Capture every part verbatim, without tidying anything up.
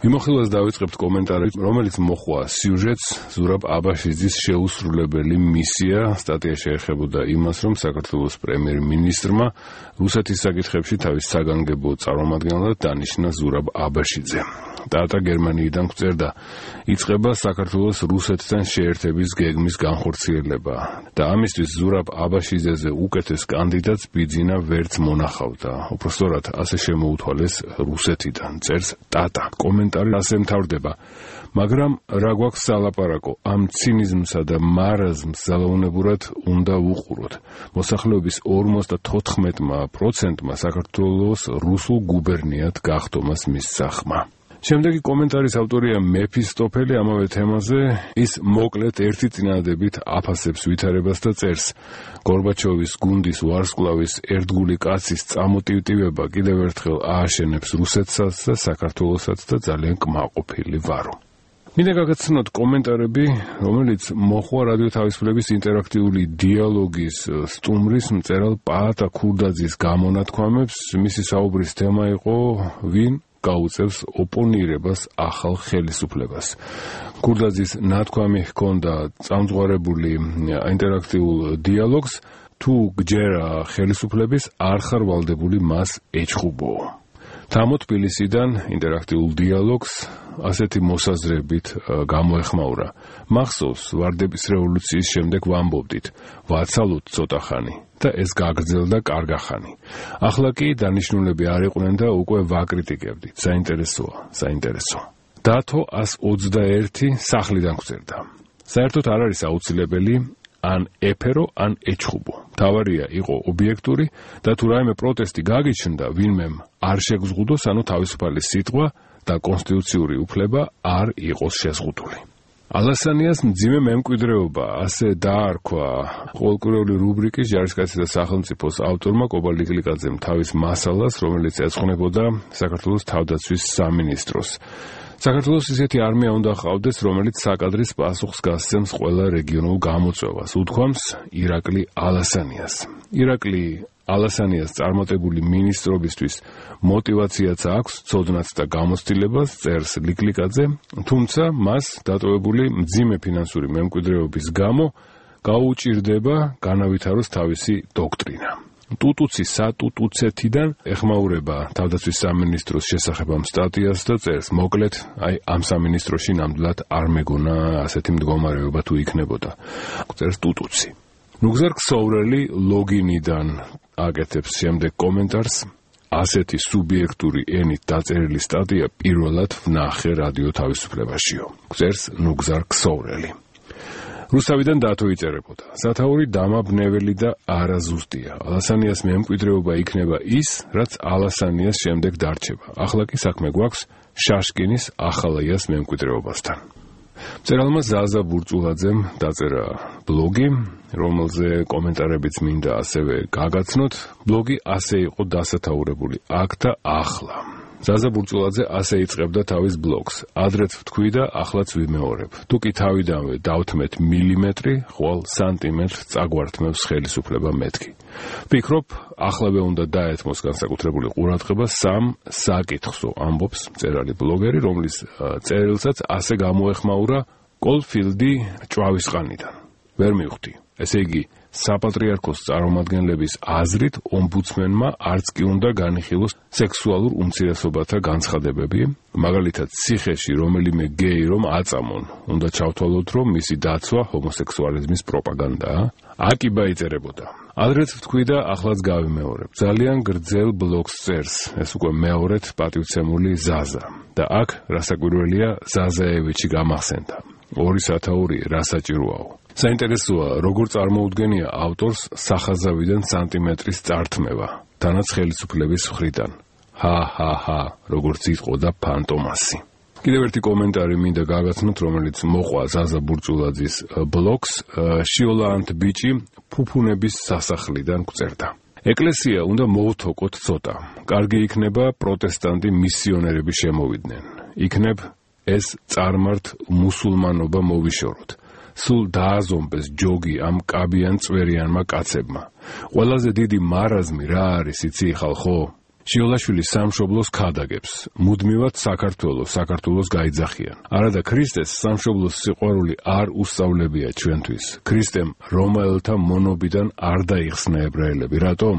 მიმოხილვას დავიწყებთ კომენტარით, რომელიც მოხვა სიუჟეტს ზურაბ აბაშიძის შეუსრულებელი მისია. სტატია შეეხებოდა იმას, რომ საქართველოს პრემიერ-მინისტრმა რუსეთის საკითხებში თავის საგანგებო წარმომადგენლად დანიშნა ზურაბ აბაშიძე. ტატა გერმანიიდან გვწერდა, იწყება საქართველოს რუსეთთან შეერთების გეგმის განხორციელება და ამისთვის ზურაბ აბაშიძეზე უკეთეს კანდიდატს ბიძინა ვერც მონახავდა. უпростоრად ასე შემოუთვალეს რუსეთიდან, წერს ტატა. კომენტარი ასე მთავრდება, მაგრამ რა გვაქვს სალაპარაკო, ამ ცინიზმსა და მარაზმს ძალაუნებურად უნდა ვუყუროთ. მოსახლეობის ორმოცდათოთხმეტ პროცენტმა საქართველოს რუსულ გუბერნიად გახდომას მისცა ხმა. შემდეგი კომენტარის ავტორია მეფისტოფელი ამავე თემაზე. ის მოკლედ ერთი წინადადებით აფასებს ვითარებას და წერს, გორბაჩოვის გუნდის ვარსკვლავის ერთგული კაცის წამოტივტივება კიდევ ერთხელ ააშენებს რუსეთსაც და საქართველოსაც და ძალიან კმაყოფილი ვარო. მინდა გაგაცნოთ კომენტარები, რომელიც მოხვა რადიო თავისუფლების ინტერაქტიული დიალოგის სტუმრის მწერალ პაატა ქურდაძის გამონათქვამებს. მისი საუბრის თემა იყო ვინ გაუწევს ოპონირებას ახალ ხელისუფლებას. ქურდაძის ნათქვამი ჰქონდა წამძღვარებული ინტერაქტიულ დიალოგს, თუ გჯერა ხელისუფლების არ ხარ ვალდებული მას ეჩხუბო. თამო თბილისიდან ინტერაქტიულ დიალოგს ასეთი მოსაზრებით გამოეხმაურა. მახსოვს, ვარდების რევოლუციის შემდეგ ვამბობდით, ვაცალოთ ცოტა ხანი და ეს გაგრძელდა კარგახანი. ახლა კი დანიშნულები არ იყვნენ და უკვე ვაკრიტიკებდით. საინტერესოა, საინტერესო. დათო ას ოცდაერთი სახლიდან გვწერდა. საერთოდ არ არის აუცილებელი ან ეფერო, ან ეჩხუბო. თავარია იყო ობიექტური და თუ რაიმე პროტესტი გაგიჩნდა, ვინმემ არ შეგზღუდოს, ანუ თავისუფალი სიტყვა და კონსტიტუციური უფლება არ იყოს შეზღუდული. ალასანიას მძიმე მემკვიდრეობა, ასე დაარქვა ყოველკვირეული რუბრიკის ჯარისკაცი და სახელმწიფოს ავტორმა კობა ლიკლიკაძემ თავის მასალას, რომელიც ეძღვნებოდა საქართველოს თავდაცვის სამინისტროს. საქართველოს ისეთი არმია უნდა ჰყავდეს, რომელიც საკადრის პასუხს გასცემს ყველა რეგიონულ გამოწვევას, უთქვამს ირაკლი ალასანიას. ირაკლი ალასანიას წარმატებული მინისტრობისთვის მოტივაციაც აქვს, ცოდნაც და გამოცდილებას, წერს ლიკლიკაძე, თუმცა მას დატოვებული მძიმე ფინანსური მემკვიდრეობის გამო გაუჭირდება განავითაროს თავისი დოქტრინა. ტუტუცი სატუტუცეთიდან ეხმაურება თავდაცვის სამინისტროს შესახებ ამ სტატიას და წერს, მოკლედ, აი ამ სამინისტროში ნამდვილად არ მეგონა ასეთი მდგომარეობა თუ იქნებოდა. წერს ტუტუცი. ნუგზარ ქსოვრელი ლოგინიდან აკეთებს შემდეგ კომენტარს. ასეთი სუბიექტური ენით დაწერილი სტატია პირველად ვნახე რადიო თავისუფლებაშიო. წერს ნუგზარ ქსოვრელი. რუსთავიდან დათო იწერებოდა. სათაური დამაბნეველი და არაზუსტია. ალასანიას მემკვიდრეობა იქნება ის, რაც ალასანიას შემდეგ დარჩება. ახლა კი საქმე გვაქვს შაშკინის ახალაიას მემკვიდრეობასთან. მწერალმა ზაზა ბურწულაძემ დაწერა ბლოგი, რომელზე კომენტარებიც მინდა ასევე გაგაცნოთ. ბლოგი ასე იყო დასათაურებული, აქ და ახლა. ზაზა ბურწულაძე ასე იწყებდა თავის ბლოგს. ადრეც ვთქვი და ახლაც ვიმეორებ. თუ კი თავიდანვე დავთმეთ მილიმეტრი, ხვალ სანტიმეტრს წაგვართმევს ხელისუფლება მეთქი. ვფიქრობ, ახლავე უნდა დაეთმოს განსაკუთრებული ყურადღება სამ საკითხსო, ამბობს მწერალი ბლოგერი, რომლის წერილსაც ასე გამოეხმაურა კოლფილდი ჭვავისყანიდან. ვერ მივხვდი. ესე იგი, საპატრიარქოს წარმომადგენლების აზრით ომბუდსმენმა არც კი უნდა განიხილოს სექსუალურ უმცირესობათა განცხადებები, მაგალითად ციხეში რომელიმე გეი რომ აწამონ, უნდა ჩავთვალოთ, რომ მისი დაცვა ჰომოსექსუალიზმის პროპაგანდაა. აკიბა იწერებოდა. ადრეც ვთქვი და ახლაც გავიმეორებ. ძალიან გრძელ ბლოგს წერს, ეს უკვე მეორედ პატივცემული ზაზა. და აქ რასაკვირველია ზაზაევიჩი გამახსენდა. ორი სათაური რა საჭიროაო. საინტერესოა, როგორ წარმოუდგენია ავტორს სახაზავიდან სანტიმეტრის წართმევა, თანაც ხელისუფლების მხრიდან. ჰა ჰა ჰა, როგორც იტყოდა ფანტომასი. კიდევ ერთი კომენტარი მინდა გაგაცნოთ, რომელიც მოყვა ზაზა ბურწულაძის ბლოგს. შიოლანთ ბიჭი ფუფუნების სასახლიდან გვწერდა. ეკლესია უნდა მოვთოკოთ ცოტა. კარგი იქნება პროტესტანტი მისიონერები შემოვიდნენ. იქნებ ეს წარმართ მუსულმანობა მოვიშოროთ. სულ დააზომბეს ჯოგი ამ კაბიან წვერიანმა კაცებმა. ყველაზე დიდი მარაზმი რა არის, იცი ხალხო? შიოლაშვილის სამშობლოს ქადაგებს, მუდმივად საქართველოს, საქართველოს გაიძახიან. არადა ქრისტეს სამშობლოს სიყვარული არ უსწავლებია ჩვენთვის. ქრისტემ რომაელთა მონობიდან არ დაიხსნა ებრაელები. რატომ?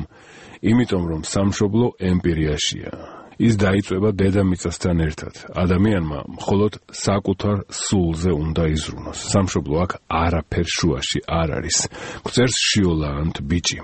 იმიტომ რომ სამშობლო ემპირიაშია. ის დაიწვება დედამიწასთან ერთად. ადამიანმა მხოლოდ საკუთარ სულზე უნდა იზრუნოს. სამშობლო აქ არაფერ შუაში არ არის. გვწერს შიოლა ანთ ბიჭი.